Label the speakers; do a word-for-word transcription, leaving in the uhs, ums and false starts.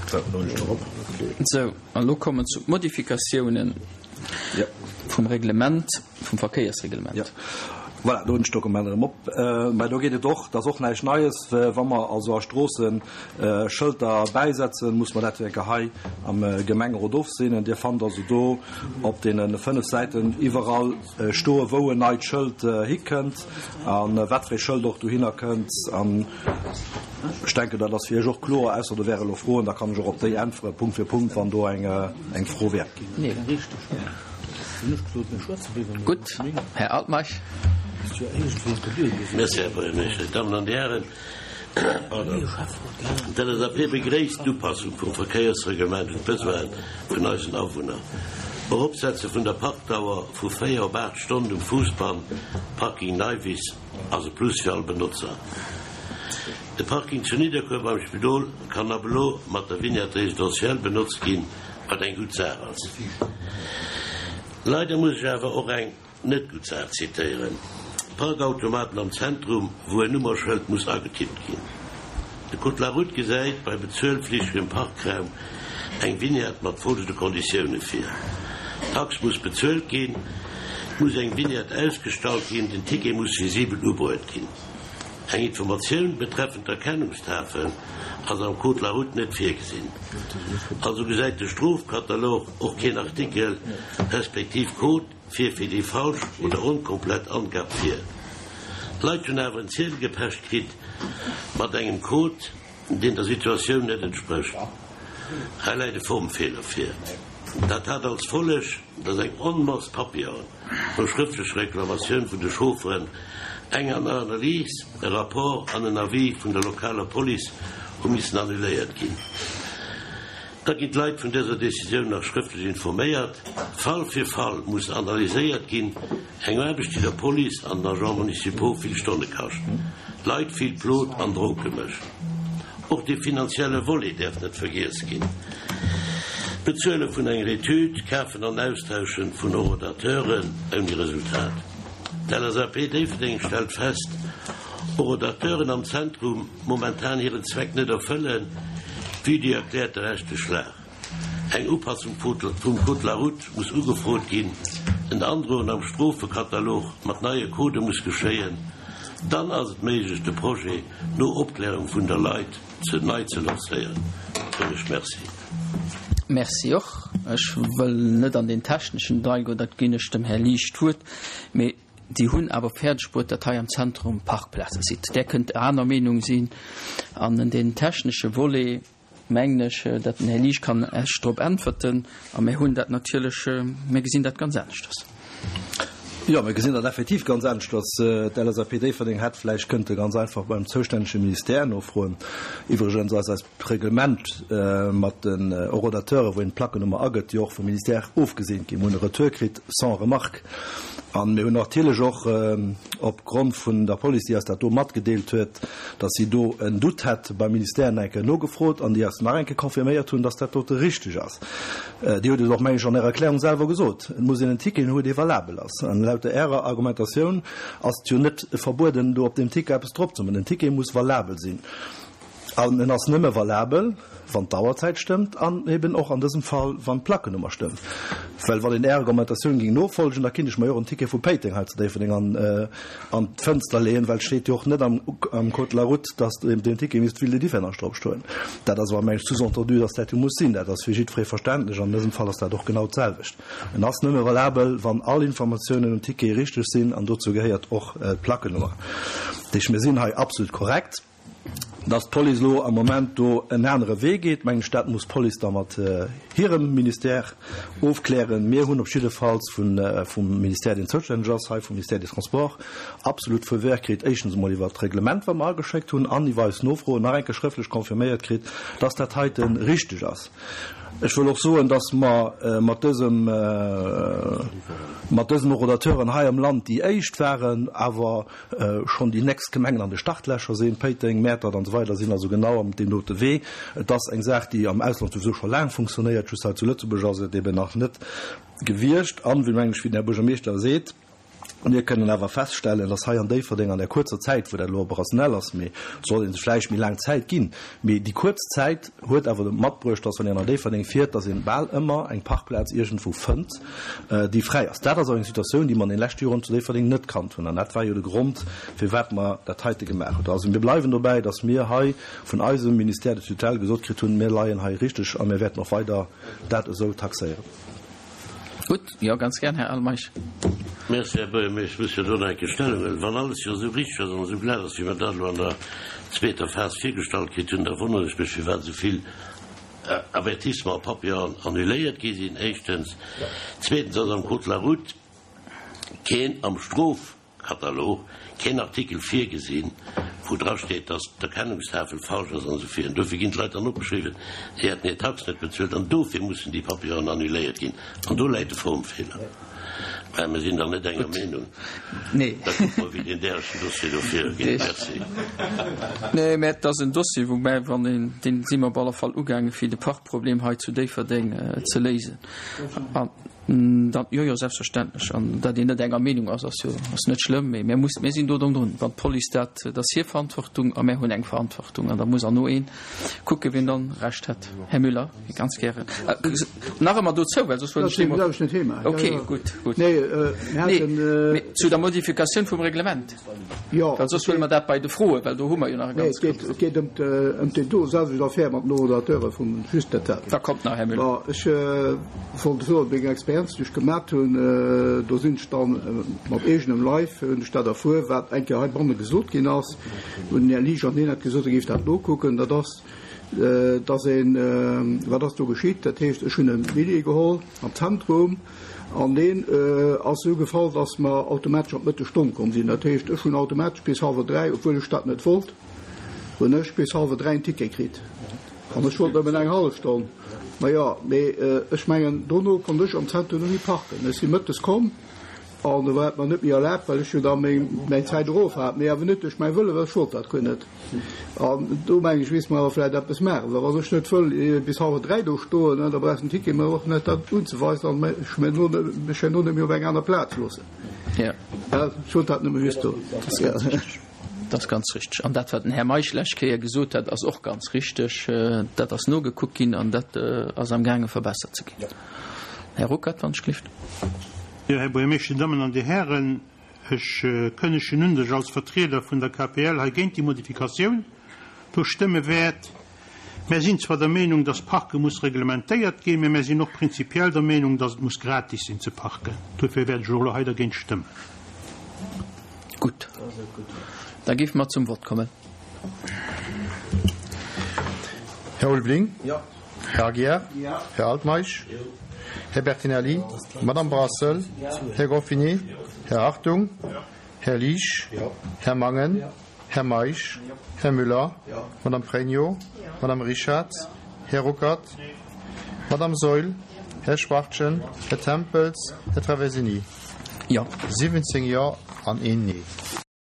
Speaker 1: Sou, an elo kommen zu Modifikatiounen vum Reglement, vum Verkéiersreglement.
Speaker 2: Jo, voilà, do hunn ech d'Dokument erëm op. Mä do geet et och, dat ass och näischt Neies, wa mer also a Stroosse Schëlter bäisetzen, muss mer dat jo eng Kéier hei am Gemengerot ofseenen. Dir fannt also do op deene fënnef Säiten iwwerall stoe wou en neit Schëld hikënnt a wat fir ee Schëld och dohinner kënnt. An ech denken, dat ass fir Iech och kloer, ausser do wäre elo Froen, da kann ech och op déi äntwere Punkt fir Punkt, wann do eng Fro wär.
Speaker 1: Gutt, Här Altmeisch.
Speaker 3: Merci, Här Buergermeeschter. Dammen an Dir Hären, pardon, d'LSAP begréisst d'Upassung vum Verkéiersreglement un d'Besoine vun eisen Awunner. Eropsetze vun der Parkdauer vu véier op aacht Stonnen um Fuussbann, Parking Neiwiss, ass e Plus fir all Benotzer. De Parking zu Nidderkuer beim Spidol kann ab elo mat der Vignette résidentielle benotzt ginn, wat eng gutt Saach ass. Leider muss ech awer och eng net gutt Saach zitéieren, Parkautomaten am Zentrum, wou en Nummerschëld muss agetippt ginn. De Code de la route gesäit bei bezuelflichtegem Parkraum eng Vignette mat folgende Konditioune vir, D'Tax muss bezuelt ginn, et muss eng Vignette ausgestallt ginn, den Ticket muss visibel ubruet ginn. Eng Informatioun betreffend d'Erkennungstafel ass am Code de la route net virgesinn. Also gesäit de Strofkatalog och keen Artikel respektiv Code fir fir déi falsch oder onkomplett Angab vir. D'Leit hunn awer en Ziedel gepecht kritt mat engem Code, deen der Situatioun net entsprécht. Hei läit e Formfeeler vir. Dat hat als Folleg, datt eng Onmass Papieren no schrëftlecher Reklamatioun vun de Chaufferen, eng Analys, e Rapport an en Avis vun der lokaler Police hu missen annuléiert ginn. Da ginn d'Leit vun dëser Decisioun nach schrëftlech informéiert. Fall fir Fall muss analyséiert ginn, eng Aarbecht, déi der Police an den Agents municipaux vill Stonne kascht, Leit vill Plot an Dronke mécht. Och de finanzielle Volet däerf net vergiess ginn. D'Bezuele vun enger Etüd, Kafen an Austauschen vun Horodateuren ouni Resultat. D'LSAP Déifferdeng stellt fest, Horodateuren am Zentrum momentan hiren Zweck net erfëllen, vue déi erkläerte rechtlech Lag. Eng Upassung vum Code de la route muss ugefrot ginn, en Androen am Strofekatalog mat neie Codë muss geschéien. Dann ass et méiglech, de Projet no Opklärung vun der Leit ze nei ze lancéieren. Soen ech Merci.
Speaker 1: Merci och. Ech wëll net an deen techneschen Detail goen, dat ginn ech dem Här Liesch d'Wuert, mee déi hunn awer fäerdeg bruet, datt hei am Zentrum Parkplaze sidd. Där kënnt aner Meenung sinn. An deen technesche Volet, mengen ech, datt den Här Liesch kann Iech drop äntwerten. A mir hunn dat natierlech, mir gesinn dat ganz aneschters.
Speaker 2: Jo, mir gesinn dat effektiv ganz aneschters. D'LSAP Déifferdeng hätt vläicht kënnte ganz einfach beim zoustännege Ministère nofroen. Iwwregens ass eist Reglement mat den Horodateuren, wou een d'Plackenummer agëtt, jo och vum Ministère ofgeseent ginn. Mir hunn e Retour kritt sans remarque. A mir hunn natierlech och opgrond vun der Police, déi eis dat do matgedeelt huet, dass si do en Doute hätt, beim Ministère nach eng Kéier nogefrot an déi eis nach eng Kéier confirméiert hunn, dass dat dote richteg ass. Dir hutt et och, meng ech, an Ärer Erklärung selwer gesot, Et muss een en Ticket hunn, dee valabel ass. An laut der Ärer Argumentatioun ass et jo net verbueden, do op deem Ticket eppes drop ze man. Den Ticket muss valabel sinn. An en ass nëmme valabel, wann d'Auerzäit stëmmt an eben och an dësem Fall, wann d'Plackenummer stëmmt. Well wann een Är Argumentatioun géing nofolgen, da kinnt ech mer jo och en Ticket vu Péiteng hei zu Déifferdeng an an d'Fënster leeën, well et steet jo och net am am Code de la route, dass op deem Ticket misst d'Ville de Differdange drop stoen. Dat ass awer, meng ech, sous-entendu, dass dat jo muss sinn. Dat ass fir jiddweree verständlech. An dësem Fall ass dat och genau d'selwecht. En ass nëmme valabel, wann all Informatiounen um Ticket richteg sinn, an dozou gehéiert och d'Plackenummer. Dat heescht, mir sinn hei absolut korrekt. Dass d'Police elo am Moment do en anere Wee geet, mengen ech, dat muss d'Police da mat hirem Ministère ofklären. Mir hunn op jiddefalls vum Ministère, deen zoustänneg ass hei, vum Ministère des Transports, absolut Feu vert kritt, éischtens emol iwwert d'Reglement, wat mer ageschéckt hunn, an iwwer eis Nofroen nach eng Kéier schrëftlech confirméiert kritt, dass dat heite richteg ass. Ech wëll och soen, dass mer mat dësem, mat dësen Horodateuren hei am Land déi éischt waren, awer schonn déi nächst Gemengen an de Startlächer sinn, Péiteng, Mäertert an esou weider sinn also genau am deem dote Wee. Et ass eng Saach, déi am Ausland souwisou scho laang funktionéiert, just hei zu Lëtzebuerg ass et eben nach net gewiescht. An, wéi, mengen ech, wéi den Här Buergermeeschter seet, Mir kënnen awer feststellen, dass hei an Déifferdeng an der kuerzer Zäit, wou dat elo operationell ass, mee et soll ee sech vläicht méi laang Zäit ginn, mee déi kuerz Zäit huet awer matbruecht, dass wann een an Déifferdeng fiert, dass een bal ëmmer eng Parkplaz iergendwou fënnt, déi fräi ass. Dat ass och eng Situatioun, déi mer an den leschte Joren zu Déifferdeng net kannt hunn. An dat war jo de Grond, firwat mer dat heite gemaach hunn. Also mir bleiwen dobäi, dass mir hei vun eisem Ministère de tutelle gesot kritt hunn, mir leien hei richteg a mir wäerten och weider dat esou taxéieren.
Speaker 1: Gutt, jo, ganz gär, Här Altmeisch.
Speaker 3: Merci, Här Buergermeeschter. Ech muss jo do nach eng Kéier Stellung huelen. Wann alles jo esou richteg ass an esou glat ass, wéi mer dat elo an der zweeter Phas virgestallt kritt hunn, da wonneren ech mech, firwat esou vill Avertissements a Papieren annuléiert gi sinn, éischtens. Zweetens ass am Code de la route keen, am Strofkatalog keen Artikel virgesinn, wou dra steet, dass d'Erkennungstafel falsch ass an esou virun. Dofir ginn d'Leit dann opgeschriwwen, si hätten hir Tax net bezuelt an dofir mussen déi Papieren annuléiert ginn. An do läit de Formfeeler. Mä mir sinn dann net enger Meenung. Da kucke mer, wéi deen därechten Dossier do virugeet. Merci.
Speaker 1: Nee, mä et ass en Dossier, wou mä, wann een, dee si mer op alle Fall ugaangen, fir de Parkproblem hei zu Déifferdeng ze léisen. An dann, jo, jo, selbstverständlech. An datt een net enger Meenung ass, ass jo, ass net schlëmm, mee mir mussen, mir sinn do drun. Wann d'Police dat, dat ass hir Verantwortung a mär hunn eng Verantwortung an da muss herno ee kucken, wien dann Recht hätt. Här Müller, ganz gären. Nach ëmmer dozou, well soss wëll ech
Speaker 4: net méi.
Speaker 1: Ok, gutt, gutt. Nee, mee zu der Modifikatioun vum Reglement.
Speaker 4: Jo.
Speaker 1: Well soss huele mer dat bei de Froen, well do hu mer jo nach e
Speaker 4: ganz. Nee, et geet ëm ëm déi do selwecht Affär mat den Horodateure vum just dat dat.
Speaker 1: Da kommt nach, Här Müller.
Speaker 4: Bon, ech wollt soen, meng Experienz, déi ech gemat hunn, do sinn ech dann mat eegenem Leif hunn ech dat erfuer, wat eng Kéier heibanne gesot ginn ass, wou den Här Liesch an hien hat gesot, e géif dat nokucken, dat ass, dass een, wat ass do geschitt? Dat heescht, ech hunn e Billjee geholl am Zentrum an deen ass esou gefall, dass mer automatesch an d'Mëttesstonn komm sinn. Dat heescht, ech hunn automatesch bis hallwer dräi, obwuel ech dat net wollt, hunn ech bis hallwer dräi en Ticket kritt. An ech wollt nëmmen eng hallef Stonn. Majo, mee ech mengen, dono konnt ech am Zentrum net méi parken. Ech si mëttes komm an do war et mer net méi erlaabt, well ech jo da meng mäin Zäit erof hat, mee awer net duerch mäi Wëlle, well ech wollt dat guer net. An do mengen ech, misste mer awer vläicht eppes maachen, well wann ech net wëll bis hallwer dräi do stoen, da brauchs den Ticket mer och net dat unzeweisen an mech mech herno net méi op eng aner Plaz loossen.
Speaker 1: Ja.
Speaker 4: Ech wollt dat nëmme just do.
Speaker 1: Dat ass ganz richteg. Dat ass ganz richteg. An dat, wat den Här Meisch d'lescht Kéier gesot hat, ass och ganz richteg. Dat ass nogekuckt ginn an dat ass amgaange verbessert ze ginn. Här Ruckert, wann ech gelift.
Speaker 5: Jo, Här Buergermeeschter, Dir Dammen an Dir Hären, ech kënnegen un, datt ech als Vertrieder vun der K P L hei géint déi Modifikatioun do stëmme wäert. Mär sinn zwar der Meenung, datt Parke muss reglementéiert ginn, mä mär sinn och prinzipiell der Meenung, datt et muss gratis sinn ze parken. Dofir wäert ech och elo hei dergéint stëmmen.
Speaker 1: Gutt, da géife mer zum Vott kommen.
Speaker 6: Här Ulveling? Här Aguiar? Här Altmeisch? Här Bertinelli? Madame Brassel? Här Goffini? Här Hartung? Här Liesch? Här Mangen? Här Meisch? Här Müller? Madame Pregno? Madame Richarz? Här Ruckert? Madame Saeul? Här Schwachtgen? Här Tempels? Här Traversini?
Speaker 1: Jo.
Speaker 6: siwwenzéng Jo an een Nee.